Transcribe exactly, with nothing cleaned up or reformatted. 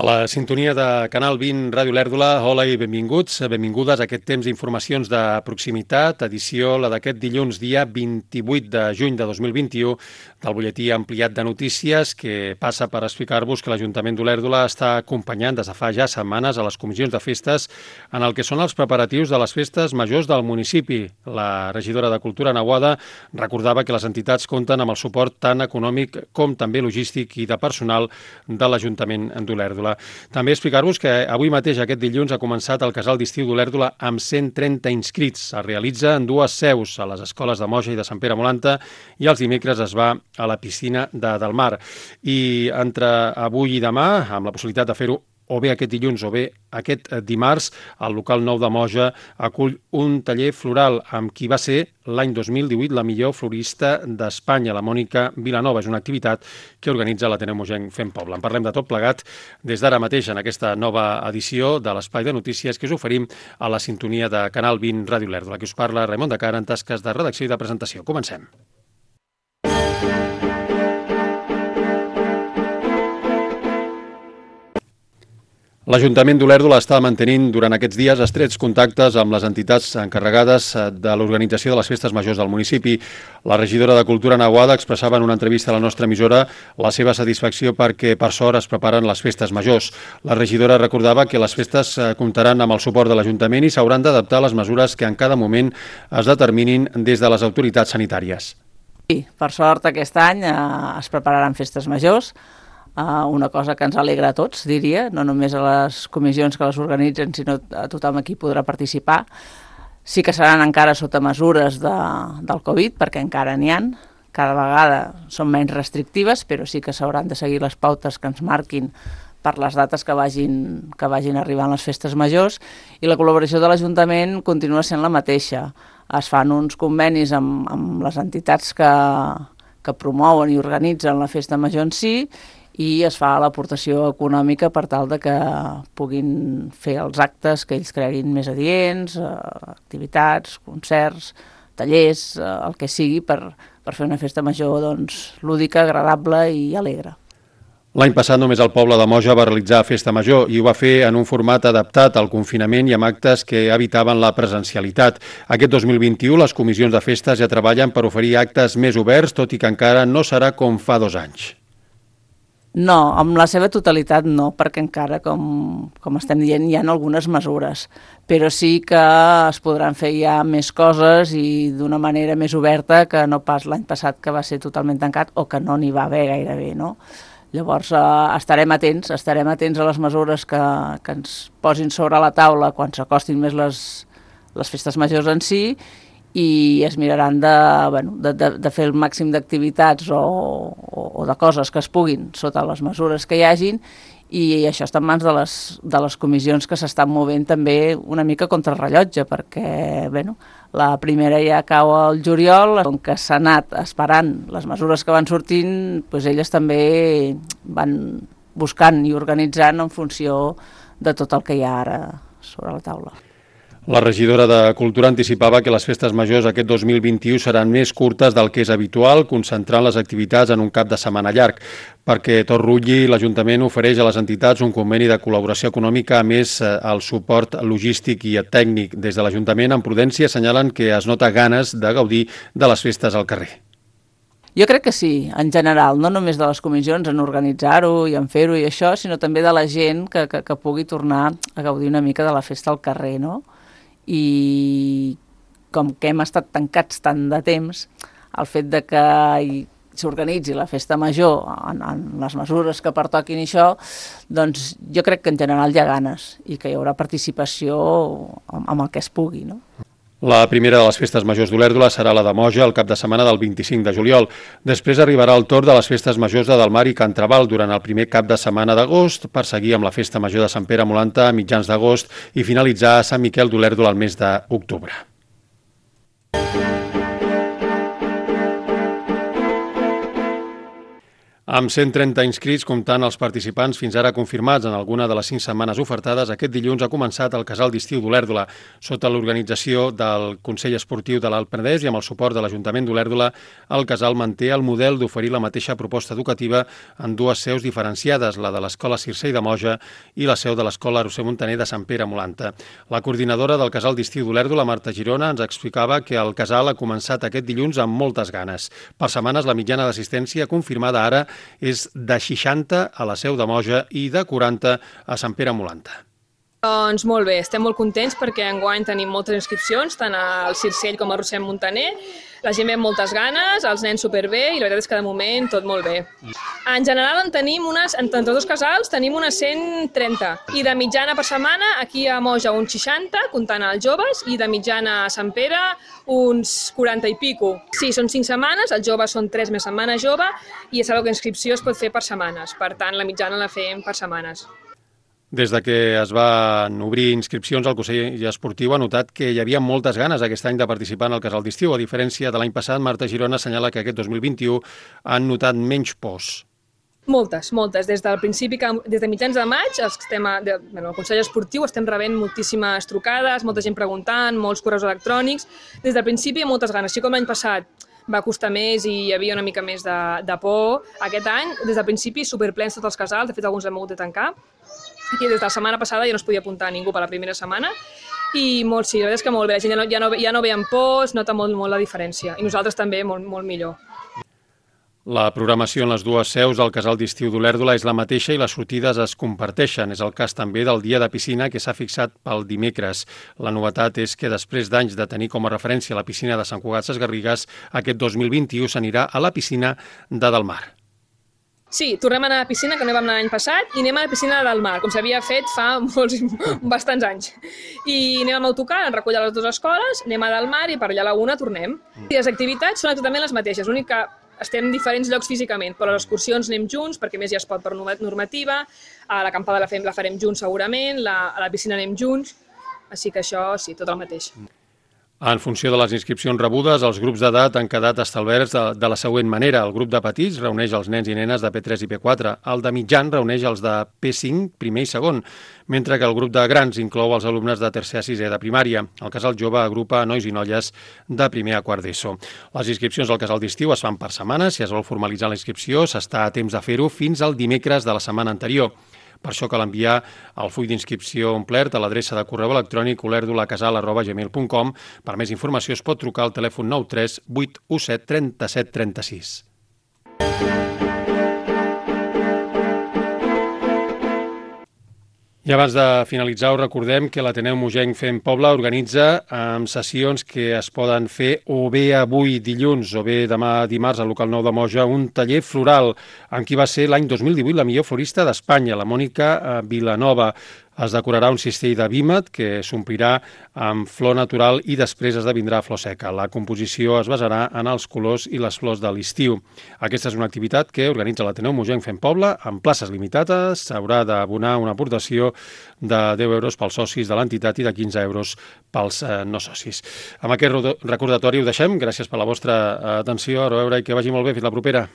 A la sintonia de Canal vint Ràdio Lèrdula, hola i benvinguts, benvingudes a aquest temps d'informacions de proximitat, edició la d'aquest dilluns, dia vint-i-vuit de juny de dos mil vint-i-u, del butlletí ampliat de notícies que passa per explicar-vos que l'Ajuntament d'Olèrdola està acompanyant des de fa ja setmanes a les comissions de festes en el que són els preparatius de les festes majors del municipi. La regidora de Cultura, Ana Boada, recordava que les entitats compten amb el suport tant econòmic com també logístic i de personal de l'Ajuntament d'Olèrdola. També explicar-vos que avui mateix, aquest dilluns, ha començat el casal d'estiu d'Olèrdola amb cent trenta inscrits. Es realitza en dues seus, a les escoles de Moja i de Sant Pere Molanta, i els dimecres es va a la piscina de Del Mar. I entre avui i demà, amb la possibilitat de fer-ho o bé aquest dilluns o bé aquest dimarts, el local nou de Moja acull un taller floral amb qui va ser l'any dos mil divuit la millor florista d'Espanya, la Mònica Vilanova. És una activitat que organitza l'Ateneu Mogenc Fem Poble. En parlem de tot plegat des d'ara mateix en aquesta nova edició de l'Espai de Notícies que us oferim a la sintonia de Canal vint Ràdio Lèrdula. Aquí us parla Raimon de Cara en tasques de redacció i de presentació. Comencem. L'Ajuntament d'Olèrdola està mantenint durant aquests dies estrets contactes amb les entitats encarregades de l'organització de les festes majors del municipi. La regidora de Cultura, Ana Boada, expressava en una entrevista a la nostra emissora la seva satisfacció perquè per sort es preparen les festes majors. La regidora recordava que les festes comptaran amb el suport de l'Ajuntament i s'hauran d'adaptar a les mesures que en cada moment es determinin des de les autoritats sanitàries. Sí, per sort aquest any eh, es prepararan festes majors. Uh, una cosa que ens alegra a tots, diria, no només a les comissions que les organitzen, sinó a tothom aquí podrà participar. Sí que seran encara sota mesures de, del Covid, perquè encara n'hi ha. Cada vegada són menys restrictives, però sí que s'hauran de seguir les pautes que ens marquin per les dates que vagin, que vagin arribant les festes majors, i la col·laboració de l'Ajuntament continua sent la mateixa. Es fan uns convenis amb, amb les entitats que, que promouen i organitzen la festa major en si, i es fa l'aportació econòmica per tal de que puguin fer els actes que ells creguin més adients, eh, activitats, concerts, tallers, eh, el que sigui, per, per fer una festa major doncs, lúdica, agradable i alegre. L'any passat només el poble de Moja va realitzar festa major i ho va fer en un format adaptat al confinament i amb actes que evitaven la presencialitat. Aquest dos mil vint-i-u les comissions de festes ja treballen per oferir actes més oberts, tot i que encara no serà com fa dos anys. No, amb la seva totalitat no, perquè encara, com, com estem dient, hi ha algunes mesures, però sí que es podran fer ja més coses i d'una manera més oberta que no pas l'any passat, que va ser totalment tancat o que no n'hi va haver gairebé, no? Llavors eh, estarem atents, estarem atents a les mesures que, que ens posin sobre la taula quan s'acostin més les, les festes majors en si, i es miraran de, bueno, de, de, de fer el màxim d'activitats o, o, o de coses que es puguin sota les mesures que hi hagin, i això està en mans de les, de les comissions que s'estan movent també una mica contra rellotge, perquè bueno, la primera ja cau al juliol, com que s'ha anat esperant les mesures que van sortint, doncs elles també van buscant i organitzant en funció de tot el que hi ha ara sobre la taula. La regidora de Cultura anticipava que les festes majors aquest dos mil vint-i-u seran més curtes del que és habitual, concentrant les activitats en un cap de setmana llarg. Perquè tot rutlli, l'Ajuntament ofereix a les entitats un conveni de col·laboració econòmica, a més el suport logístic i tècnic. Des de l'Ajuntament, en prudència, assenyalen que es nota ganes de gaudir de les festes al carrer. Jo crec que sí, en general, no només de les comissions en organitzar-ho i en fer-ho i això, sinó també de la gent que, que, que pugui tornar a gaudir una mica de la festa al carrer, no? I com que hem estat tancats tant de temps, el fet de que s'organitzi la festa major en, en les mesures que pertoquin i això, doncs jo crec que en general hi ha ganes i que hi haurà participació amb, amb el que es pugui, no? La primera de les festes majors d'Olèrdola serà la de Moja el cap de setmana del vint-i-cinc de juliol. Després arribarà el torn de les festes majors de Del Mar i Can Traval durant el primer cap de setmana d'agost, per seguir amb la festa major de Sant Pere Molanta a mitjans d'agost i finalitzar a Sant Miquel d'Olèrdola al mes d'octubre. Amb cent trenta inscrits, comptant els participants fins ara confirmats en alguna de les cinc setmanes ofertades, aquest dilluns ha començat el casal d'estiu d'Olèrdola. Sota l'organització del Consell Esportiu de l'Alt Penedès i amb el suport de l'Ajuntament d'Olèrdola, el casal manté el model d'oferir la mateixa proposta educativa en dues seus diferenciades, la de l'Escola Circell de Moja i la seu de l'Escola Roser Montaner de Sant Pere Molanta. La coordinadora del casal d'estiu d'Olèrdola, Marta Girona, ens explicava que el casal ha començat aquest dilluns amb moltes ganes. Per setmanes, la mitjana d'assistència confirmada ara és de seixanta a la seu de Moja i de quaranta a Sant Pere Molanta. Doncs molt bé, estem molt contents perquè enguany tenim moltes inscripcions, tant al Circell com al Roser Montaner. La gent ve amb moltes ganes, els nens superbé i la veritat és que de moment tot molt bé. En general en tenim unes, entre tots dos casals tenim unes cent trenta i de mitjana per setmana aquí a Moja uns seixanta, comptant els joves, i de mitjana a Sant Pere uns quaranta i pico. Sí, són cinc setmanes, els joves són tres més setmana jove i ja sabeu que inscripció es pot fer per setmanes, per tant la mitjana la fem per setmanes. Des de que es van obrir inscripcions, el Consell Esportiu ha notat que hi havia moltes ganes aquest any de participar en el casal d'estiu. A diferència de l'any passat, Marta Girona assenyala que aquest dos mil vint-i-u han notat menys pors. Moltes, moltes. Des del principi, des de mitjans de maig, els estem a, de, bueno, el Consell Esportiu estem rebent moltíssimes trucades, molta gent preguntant, molts correus electrònics. Des del principi moltes ganes. Així com l'any passat va costar més i hi havia una mica més de, de por, aquest any, des del principi, superplens tots els casals, de fet alguns hem hagut de tancar. Aquí des de la setmana passada ja no es podia apuntar a ningú per la primera setmana i molt, sí, la veritat és que molt bé, la gent ja no, ja no, ja no ve amb por, es nota molt, molt la diferència i nosaltres també molt, molt millor. La programació en les dues seus del casal d'estiu d'Olèrdola és la mateixa i les sortides es comparteixen. És el cas també del dia de piscina que s'ha fixat pel dimecres. La novetat és que després d'anys de tenir com a referència la piscina de Sant Cugat Sesgarrigues, aquest dos mil vint-i-u s'anirà a la piscina de Delmar. Sí, tornem a anar a la piscina, que no vam anar l'any passat, i anem a la piscina del mar, com s'havia fet fa molts, bastants anys. I anem amb autocar, ens recull a les dues escoles, anem a Delmar i per allà a la una tornem. I les activitats són exactament les mateixes, l'únic que estem en diferents llocs físicament, però les excursions anem junts, perquè més ja es pot per normativa, a l'acampada la, la farem junts segurament, la, a la piscina anem junts, així que això sí, tot el mateix. En funció de les inscripcions rebudes, els grups d'edat han quedat establerts de, de la següent manera. El grup de petits reuneix els nens i nenes de P tres i P quatre, el de mitjan reuneix els de P cinc, primer i segon, mentre que el grup de grans inclou els alumnes de tercer a sisè de primària. El casal jove agrupa nois i noies de primer a quart d'ESO. Les inscripcions al casal d'estiu es fan per setmana. Si es vol formalitzar la inscripció, s'està a temps de fer-ho fins al dimecres de la setmana anterior. Per això cal enviar el full d'inscripció omplert a l'adreça de correu electrònic olerdolacasal arroba gmail punt com. Per més informació es pot trucar al telèfon nou tres vuit u set trenta-set trenta-sis. I abans de finalitzar, us recordem que l'Ateneu Mogenc Fem Poble organitza amb sessions que es poden fer o bé avui dilluns o bé demà dimarts al local nou de Moja un taller floral en qui va ser l'any dos mil divuit la millor florista d'Espanya, la Mònica Vilanova. Es decorarà un cistell de vímet que s'omplirà amb flor natural i després esdevindrà flor seca. La composició es basarà en els colors i les flors de l'estiu. Aquesta és una activitat que organitza l'Ateneu Mogenc Fem Poble amb places limitades. S'haurà d'abonar una aportació de deu euros pels socis de l'entitat i de quinze euros pels eh, no socis. Amb aquest recordatori ho deixem. Gràcies per la vostra atenció. A veure, i que vagi molt bé. Fins la propera.